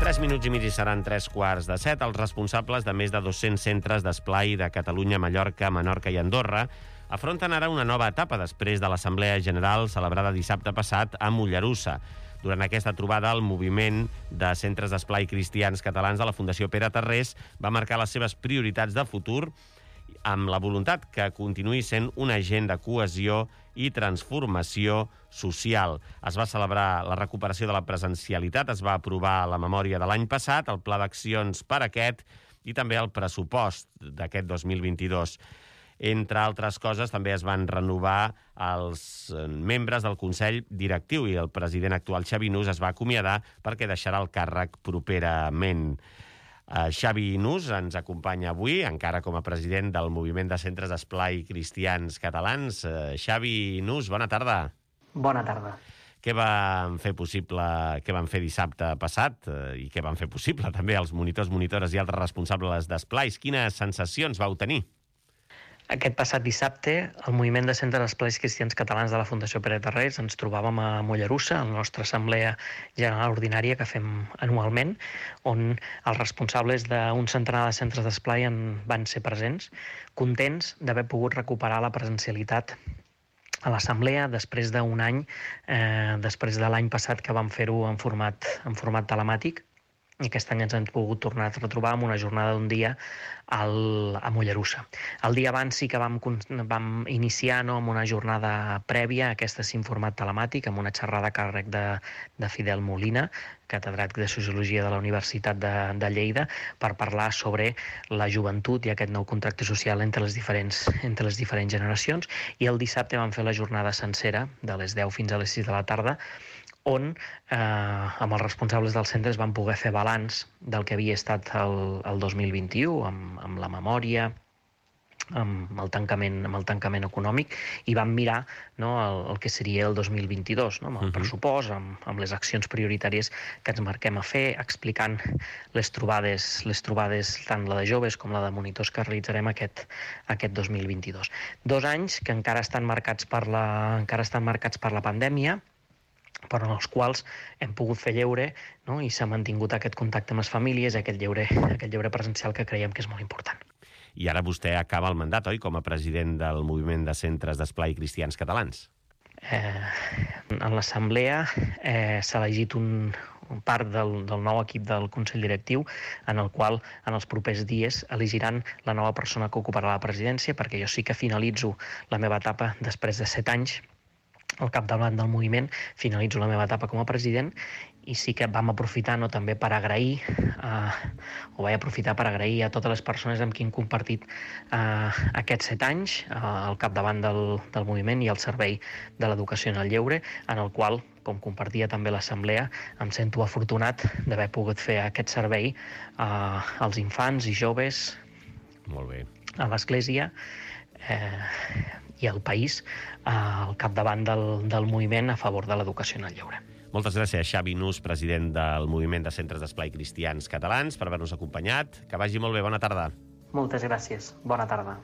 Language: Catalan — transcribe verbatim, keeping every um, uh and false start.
Tres minuts i mig i seran tres quarts de set. Els responsables de més de dos-cents centres d'esplai de Catalunya, Mallorca, Menorca i Andorra afronten ara una nova etapa després de l'Assemblea General celebrada dissabte passat a Mollerussa. Durant aquesta trobada, el moviment de centres d'esplai cristians catalans de la Fundació Pere Tarrés va marcar les seves prioritats de futur amb la voluntat que continuï sent un agent de cohesió i transformació social. Es va celebrar la recuperació de la presencialitat, es va aprovar la memòria de l'any passat, el pla d'accions per aquest i també el pressupost d'aquest dos mil vint-i-dos. Entre altres coses, també es van renovar els membres del Consell Directiu i el president actual, Xavi Nus, es va acomiadar perquè deixarà el càrrec properament. Uh, Xavi Nus ens acompanya avui, encara com a president del Moviment de Centres d'Esplai Cristians Catalans. Uh, Xavi Nus, bona tarda. Bona tarda. Què van fer possible, què van fer dissabte passat uh, i què van fer possible també els monitors, monitores i altres responsables d'esplais? Quines sensacions vau tenir? Aquest passat dissabte, el Moviment de Centres d'Esplais Cristians Catalans de la Fundació Pere Tarrés ens trobàvem a Mollerussa, a la nostra assemblea general ordinària que fem anualment, on els responsables d'un centenar de centres d'esplai van ser presents, contents d'haver pogut recuperar la presencialitat a l'assemblea després d'un any, eh, després de l'any passat que vam fer-ho en format, en format telemàtic. I aquest any ens hem pogut tornar a retrobar amb una jornada d'un dia al, a Mollerussa. El dia abans sí que vam, vam iniciar no, amb una jornada prèvia, aquesta sí en format telemàtic, amb una xerrada a càrrec de, de Fidel Molina, catedràtic de Sociologia de la Universitat de, de Lleida, per parlar sobre la joventut i aquest nou contracte social entre les diferents, entre les diferents generacions. I el dissabte vam fer la jornada sencera, de les deu fins a les sis de la tarda, on eh, amb els responsables dels centres van poder fer balanç del que havia estat el, el dos mil vint-i-u, amb, amb la memòria, amb el tancament, amb el tancament econòmic, i vam mirar no, el, el que seria el dos mil vint-i-dos, no, amb el uh-huh. pressupost, amb, amb les accions prioritàries que ens marquem a fer, explicant les trobades, les trobades tant la de joves com la de monitors que realitzarem aquest, aquest dos mil vint-i-dos. Dos anys que encara estan marcats per la, encara estan marcats per la pandèmia, però en els quals hem pogut fer lleure, no? I s'ha mantingut aquest contacte amb les famílies, aquest lleure, aquest lleure presencial que creiem que és molt important. I ara vostè acaba el mandat, oi?, com a president del Moviment de Centres d'Esplai Cristians Catalans. Eh, en l'assemblea eh, s'ha elegit un, un part del, del nou equip del Consell Directiu, en el qual en els propers dies elegiran la nova persona que ocuparà la presidència, perquè jo sí que finalitzo la meva etapa després de set anys al capdavant del moviment, finalitzo la meva etapa com a president, i sí que vam aprofitar no, també per agrair, eh, o vaig aprofitar per agrair a totes les persones amb qui hem compartit eh, aquests set anys eh, al capdavant del, del moviment i al servei de l'educació en el lleure, en el qual, com compartia també l'assemblea, em sento afortunat d'haver pogut fer aquest servei eh, als infants i joves, molt bé, a l'Església, eh, i al país eh, al capdavant del, del moviment a favor de l'educació en el lleure. Moltes gràcies, Xavi Nus, president del Moviment de Centres d'Esplai Cristians Catalans, per haver-nos acompanyat. Que vagi molt bé. Bona tarda. Moltes gràcies. Bona tarda.